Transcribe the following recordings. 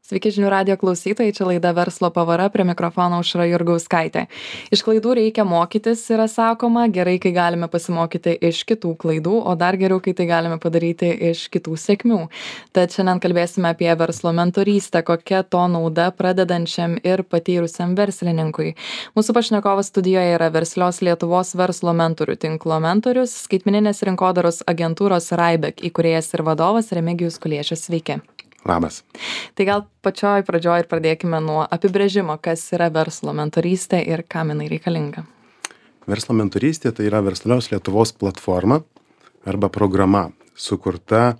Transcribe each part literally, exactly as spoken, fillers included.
Sveiki žinių radijo klausytojai, čia laida Verslo pavara, prie mikrofono Aušra Jurgauskaitė. Iš klaidų reikia mokytis, yra sakoma, gerai, kai galime pasimokyti iš kitų klaidų, o dar geriau, kai tai galime padaryti iš kitų sėkmių. Tad šiandien kalbėsime apie verslo mentorystę, kokia to nauda pradedančiam ir patyrusiam verslininkui. Mūsų pašnekovas studijoje yra Verslios Lietuvos verslo mentorių tinklo mentorius, skaitmeninės rinkodaros agentūros Raibek įkūrėjas ir vadovas Remigijus Kuliešius. Sveiki. Labas. Tai gal pačioj pradžioj ir pradėkime nuo apibrėžimo, kas yra verslo mentorystė ir kam jinai reikalinga. Verslo mentorystė tai yra Verslios Lietuvos platforma arba programa, sukurta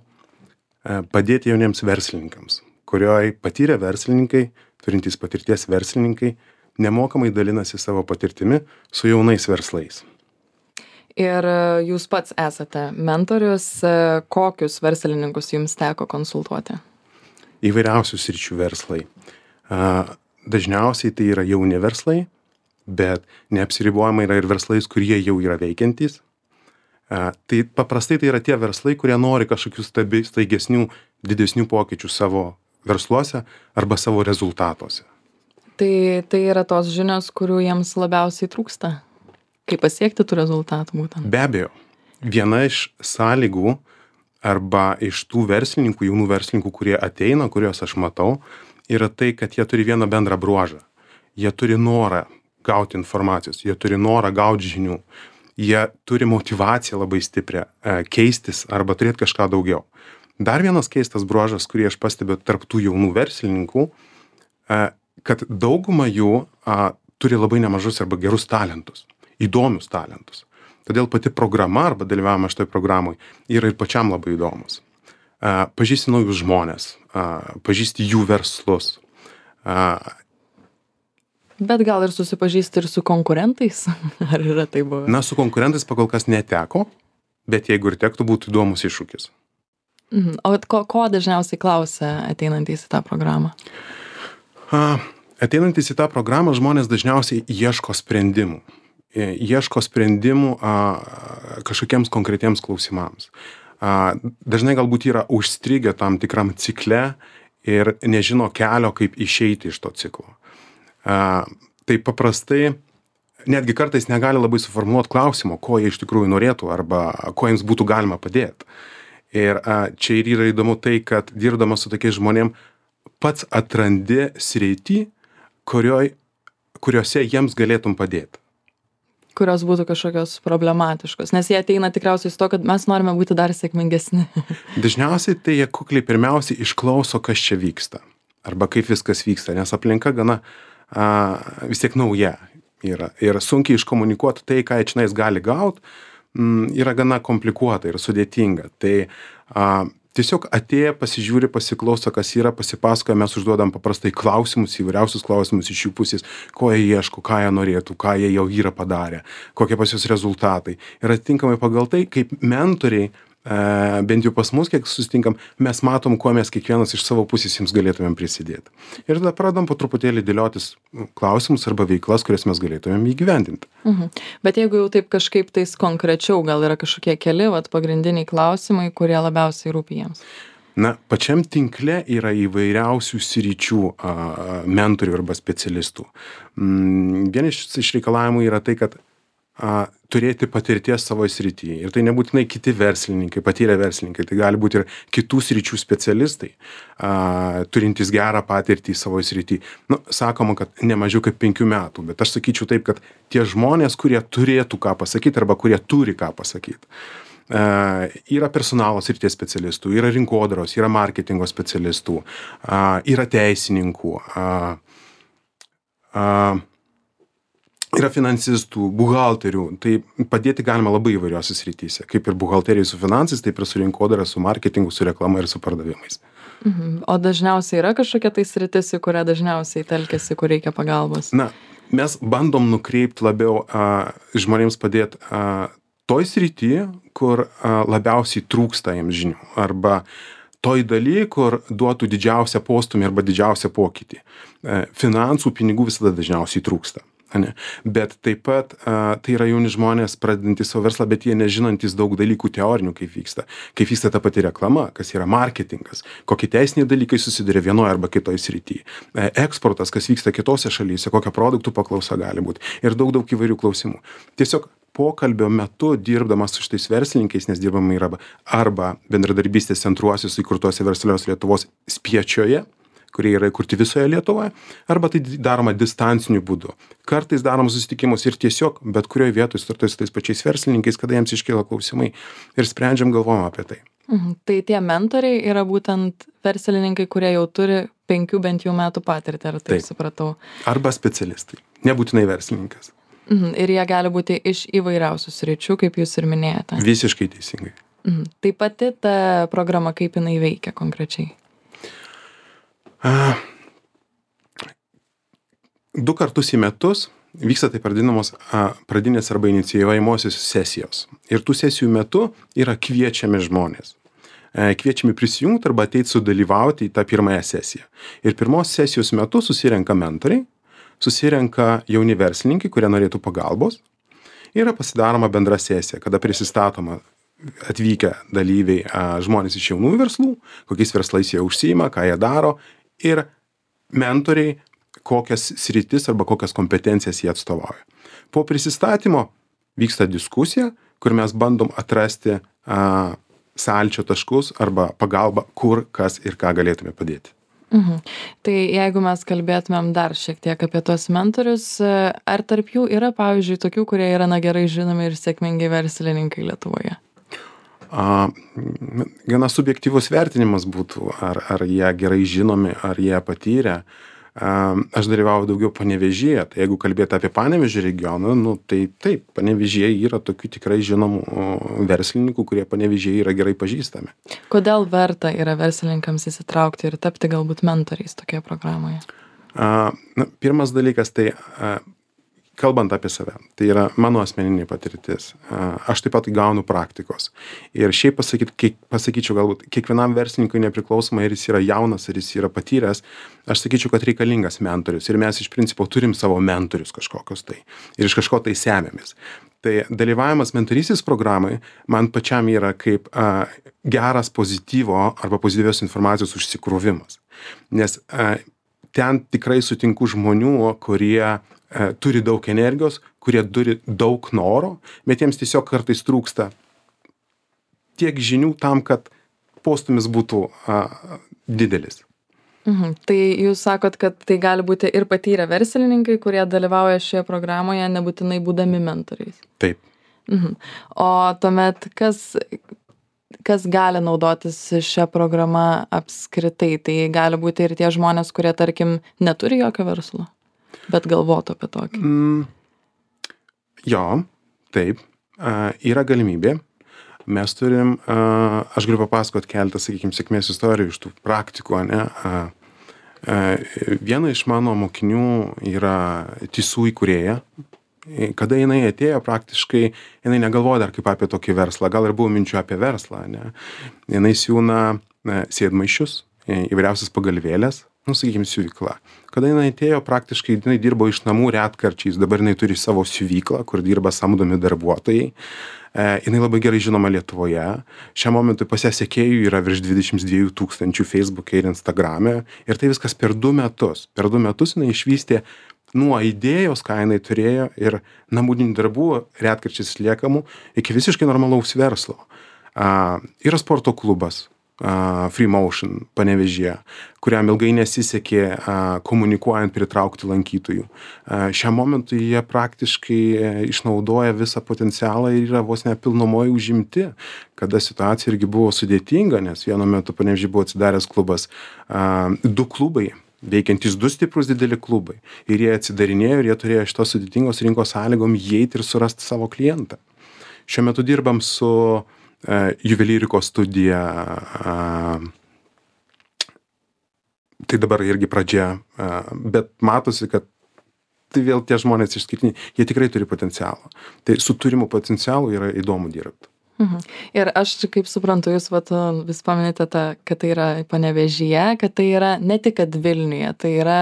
padėti jauniems verslininkams, kurioje patyrę verslininkai, turintys patirties verslininkai, nemokamai dalinasi savo patirtimi su jaunais verslais. Ir jūs pats esate mentorius, kokius verslininkus jums teko konsultuoti? Įvairiausių sričių verslai. Dažniausiai tai yra jauni verslai, bet neapsiribuojama yra ir verslais, kurie jau yra veikiantys. Tai paprastai tai yra tie verslai, kurie nori kažkokių staigesnių, didesnių pokyčių savo versluose arba savo rezultatuose. Tai, tai yra tos žinios, kurių jiems labiausiai trūksta? Kaip pasiekti tų rezultatų būtent? Be abejo. Viena iš sąlygų arba iš tų verslininkų, jaunų verslininkų, kurie ateina, kuriuos aš matau, yra tai, kad jie turi vieną bendrą bruožą. Jie turi norą gauti informacijos, jie turi norą gauti žinių, jie turi motyvaciją labai stiprią keistis arba turėti kažką daugiau. Dar vienas keistas bruožas, kurį aš pastebiu tarp tų jaunų verslininkų, kad dauguma jų turi labai nemažus arba gerus talentus, įdomius talentus. Todėl pati programa arba dalyvavimas šitoj programoj yra ir pačiam labai įdomus. Pažįsti naujus žmonės, pažįsti jų verslus. Bet gal ir susipažįsti ir su konkurentais? Ar yra tai buvę? Na, su konkurentais pakol kas neteko, bet jeigu ir tektų, būtų įdomus iššūkis. Mhm. O ko, ko dažniausiai klausia ateinantys į tą programą? Ateinantys į tą programą žmonės dažniausiai ieško sprendimų. ieško sprendimų a, kažkokiems konkretiems klausimams. A, dažnai galbūt yra užstrigę tam tikram cikle ir nežino kelio, kaip išeiti iš to ciklo. A, tai paprastai netgi kartais negali labai suformuoti klausimo, ko jie iš tikrųjų norėtų arba ko jiems būtų galima padėti. Ir a, čia ir yra įdomu tai, kad dirbdamas su tokiais žmonėm pats atrandi sritį, kurioj, kuriuose jiems galėtum padėti. Kurios būtų kažkokios problematiškos, nes jie ateina tikriausiai su to, kad mes norime būti dar sėkmingesni. Dažniausiai tai jie kukliai pirmiausiai išklauso, kas čia vyksta, arba kaip viskas vyksta, nes aplinka gana a, vis tiek nauja yra. Ir sunkiai iškomunikuoti tai, ką jie čionais gali gauti, yra gana komplikuota ir sudėtinga. Tai a, tiesiog atėję, pasižiūri, pasiklauso, kas yra, pasipasakoja, mes užduodam paprastai klausimus, įvairiausius klausimus iš jų pusės, ko jie ieško, ką jie norėtų, ką jie jau yra padarę, kokie pas jus rezultatai. Ir atitinkamai pagal tai, kaip mentoriai, e, bent jau pas mus, kiek susitinkam, mes matom, kuo mes kiekvienas iš savo pusės jums galėtumėm prisidėti. Ir tada pradam po truputėlį dėliotis klausimus arba veiklas, kurias mes galėtumėm įgyvendinti. Mhm. Bet jeigu jau taip kažkaip tais konkrečiau, gal yra kažkokie keli, vat, pagrindiniai klausimai, kurie labiausiai rūpi jiems? Na, pačiam tinkle yra įvairiausių sričių a, mentorių arba specialistų. Mm, vienas iš reikalavimų yra tai, kad a, turėti patirties savo srityje. Ir tai nebūtinai kiti verslininkai, patyrę verslininkai, tai gali būti ir kitų sričių specialistai, a, turintys gerą patirtį savo srityje. Nu, sakoma, kad ne mažiau kaip penkių metų, bet aš sakyčiau taip, kad tie žmonės, kurie turėtų ką pasakyti arba kurie turi ką pasakyti. Uh, yra personalo srities specialistų, yra rinkodaros, yra marketingo specialistų, uh, yra teisininkų, uh, uh, yra finansistų, buhalterių. Tai padėti galima labai įvairiose srityse, kaip ir buhalterijai su finansais, taip ir su rinkodara, su marketingu, su reklama ir su pardavimais. Mhm. O dažniausiai yra kažkokia tai sritis, į kurią dažniausiai telkiasi, kur reikia pagalbos? Na, mes bandom nukreipti labiau uh, žmonėms padėti uh, toj srity, kur a, labiausiai trūksta jiems žinių, arba toj daly, kur duotų didžiausią postumį arba didžiausią pokytį. E, finansų, pinigų visada dažniausiai trūksta. ane. Bet taip pat a, tai yra jauni žmonės pradedantys savo verslą, bet jie nežinantys daug dalykų teorinių, kaip vyksta. Kaip vyksta ta pati reklama, kas yra marketingas, kokie teisiniai dalykai susiduria vienoje arba kitoje srityje. E, eksportas, kas vyksta kitose šalyse, kokia produktų paklausa gali būti. Ir daug, daug įvairių klausimų. Tiesiog pokalbio metu dirbdamas su šitais verslininkais, nes dirbama yra arba bendradarbystės centruosius įkurtuose verslios Lietuvos Spiečiuje, kurie yra įkurti visoje Lietuvoje, arba tai daroma distanciniu būdu. Kartais darom susitikimus ir tiesiog bet kurioje vietoje startuoja su tais pačiais verslininkais, kada jiems iškyla klausimai ir sprendžiam, galvojam apie tai. Mhm. Tai tie mentoriai yra būtent verslininkai, kurie jau turi penkių bent jau metų patirtį, ar taip, taip supratau? Arba specialistai, nebūtinai verslininkas. Mhm. Ir jie gali būti iš įvairiausių sričių, kaip jūs ir minėjote. Visiškai teisingai. Mhm. Tai pati ta programa, kaip jinai veikia konkrečiai? A, du kartus į metus vyksta taip vadinamos a, pradinės arba inicijuojamosios sesijos. Ir tų sesijų metu yra kviečiami žmonės. E, kviečiami prisijungti arba ateiti sudalyvauti į tą pirmąją sesiją. Ir pirmos sesijos metu susirenka mentoriai, susirenka jauni verslininkai, kurie norėtų pagalbos. Yra pasidaroma bendra sesija, kada prisistatoma atvykę dalyviai a, žmonės iš jaunųjų verslų, kokiais verslais jie užsiima, ką jie daro. Ir mentoriai, kokias sritis arba kokias kompetencijas jie atstovauja. Po prisistatymo vyksta diskusija, kur mes bandom atrasti a, sąlyčio taškus arba pagalbą, kur, kas ir ką galėtume padėti. Mhm. Tai jeigu mes kalbėtumėm dar šiek tiek apie tuos mentorius, ar tarp jų yra, pavyzdžiui, tokių, kurie yra na gerai žinomi ir sėkmingi verslininkai Lietuvoje? A, gana subjektyvus vertinimas būtų, ar, ar jie gerai žinomi, ar jie patyrę. A, aš dalyvauju daugiau Panevėžyje, tai jeigu kalbėti apie Panevėžio regioną, nu, tai taip, Panevėžyje yra tokių tikrai žinomų verslininkų, kurie Panevėžyje yra gerai pažįstami. Kodėl verta yra verslininkams įsitraukti ir tapti galbūt mentoriais tokioje programoje? A, na, pirmas dalykas, tai a, kalbant apie save, tai yra mano asmeninė patirtis. Aš taip pat gaunu praktikos. Ir šiaip pasakyt, kiek, pasakyčiau galbūt, kiekvienam verslininkui nepriklausomai, ar jis yra jaunas, ar jis yra patyręs, aš sakyčiau, kad reikalingas mentorius. Ir mes iš principo turim savo mentorius kažkokius tai. Ir iš kažko tai semėmės. Tai dalyvavimas mentorystės programai man pačiam yra kaip a, geras pozityvo arba pozityvios informacijos užsikrovimas. Nes a, ten tikrai sutinku žmonių, kurie turi daug energijos, kurie turi daug noro, bet jiems tiesiog kartais trūksta tiek žinių tam, kad postūmis būtų a, didelis. Mhm. Tai jūs sakot, kad tai gali būti ir patyrę verslininkai, kurie dalyvauja šioje programoje, nebūtinai būdami mentoriais. Taip. Mhm. O tuomet kas, kas gali naudotis šią programą apskritai? Tai gali būti ir tie žmonės, kurie, tarkim, neturi jokio verslo, bet galvotų apie tokį. Mm, jo, taip, a, yra galimybė. Mes turim, a, aš galiu papasakot keletą, sakykime, sėkmės istorijų iš tų praktikų, ne? A, a, viena iš mano mokinių yra Tisų įkūrėja. Kada jinai atėjo, praktiškai jinai negalvoja dar kaip apie tokį verslą, gal ir buvo minčių apie verslą, ne? Jinai siūna sėdmaišius, įvairiausias pagalvėlės, nu, sakykime, siuvykla. Kada jinai atėjo, praktiškai jinai dirbo iš namų retkarčiais, dabar jinai turi savo siuvyklą, kur dirba samdomi darbuotojai. E, jinai labai gerai žinoma Lietuvoje. Šiam momentui pas ją sekėjų yra virš dvidešimt dviejų tūkstančių Facebook'e ir Instagram'e. Ir tai viskas per du metus. Per du metus jinai išvystė nuo idėjos, ką jinai turėjo, ir namudinių darbų retkarčiais liekamų, iki visiškai normalaus verslo. A, yra sporto klubas. Uh, Free Motion Panevėžyje, kuriam ilgai nesisekė uh, komunikuojant pritraukti lankytojų. Uh, šiam momentui jie praktiškai uh, išnaudoja visą potencialą ir yra vos nepilnumoje užimti, kada situacija irgi buvo sudėtinga, nes vienu metu Panevėžyje buvo atsidaręs klubas, uh, du klubai, veikiantys du stiprus dideli klubai. Ir jie atsidarinėjo ir jie turėjo šitos sudėtingos rinkos sąlygom įeiti ir surasti savo klientą. Šiuo metu dirbam su Uh, juvelyrikos studija, uh, tai dabar irgi pradžia, uh, bet matosi, kad tai vėl tie žmonės išskirtiniai, jie tikrai turi potencialą. Tai su turimu potencialu yra įdomu dirbti. Mhm. Ir aš kaip suprantu, jūs vat, vis paminite tą, kad tai yra Panevėžyje, kad tai yra ne tik kad Vilniuje, tai yra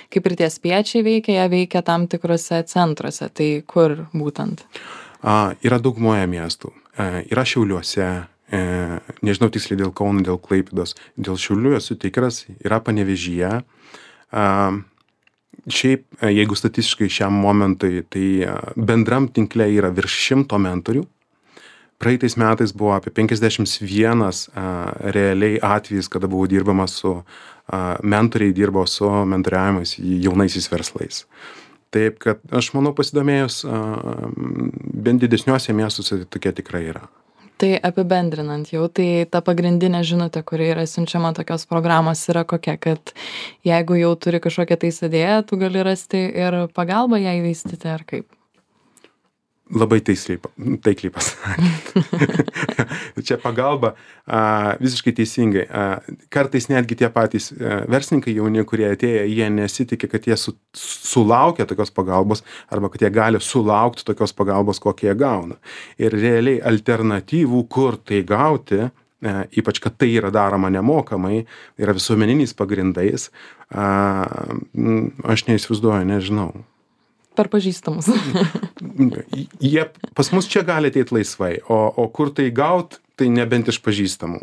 kaip ir tie spiečiai veikia, jie veikia tam tikrose centruose. Tai kur būtent? A, yra daugumoje miestų. E, yra Šiauliuose, e, nežinau tiksliai dėl Kauno, dėl Klaipėdos, dėl Šiaulių esu tikras, yra Panevėžyje. A, šiaip, e, jeigu statistiškai šiam momentui, tai e, bendram tinkle yra virš šimto mentorių. Praeitais metais buvo apie penkiasdešimt vienas a, realiai atvejis, kada buvo dirbama su, a, mentoriai dirbo su mentoriavimas jaunaisiais verslais. Taip, kad aš manau pasidomėjus, a, bent didesniuose miestuose tokie tikrai yra. Tai apibendrinant jau, tai ta pagrindinė žinutė, kuri yra siunčiama tokios programos, yra kokia, kad jeigu jau turi kažkokią tais idėją, tu gali rasti ir pagalbą ją įvystyti ar kaip? Labai taisliai, taikliai pasakėt. Čia pagalba a, visiškai teisingai. A, kartais netgi tie patys a, verslininkai jauni, kurie atėję, jie nesitikė, kad jie su, sulaukia tokios pagalbos arba kad jie gali sulaukti tokios pagalbos, kokią jie gauna. Ir realiai alternatyvų, kur tai gauti, a, ypač kad tai yra daroma nemokamai, yra visuomeniniais pagrindais, a, aš neįsivaizduoju, nežinau. Per pažįstamus. Jie pas mus čia gali ateiti laisvai, o, o kur tai gaut, tai nebent iš pažįstamų.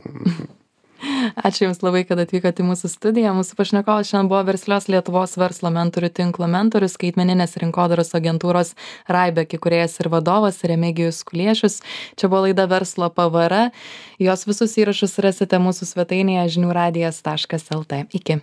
Ačiū Jums labai, kad atvykote į mūsų studiją. Mūsų pašnekovas šiandien buvo Verslios Lietuvos verslo mentorių tinklo mentorius, skaitmeninės rinkodaros agentūros Raibek įkūrėjas ir vadovas Remigijus Kuliešius. Čia buvo laida Verslo P V R. Jos visus įrašus rasite mūsų svetainėje žinių radijas taškas lt. Iki.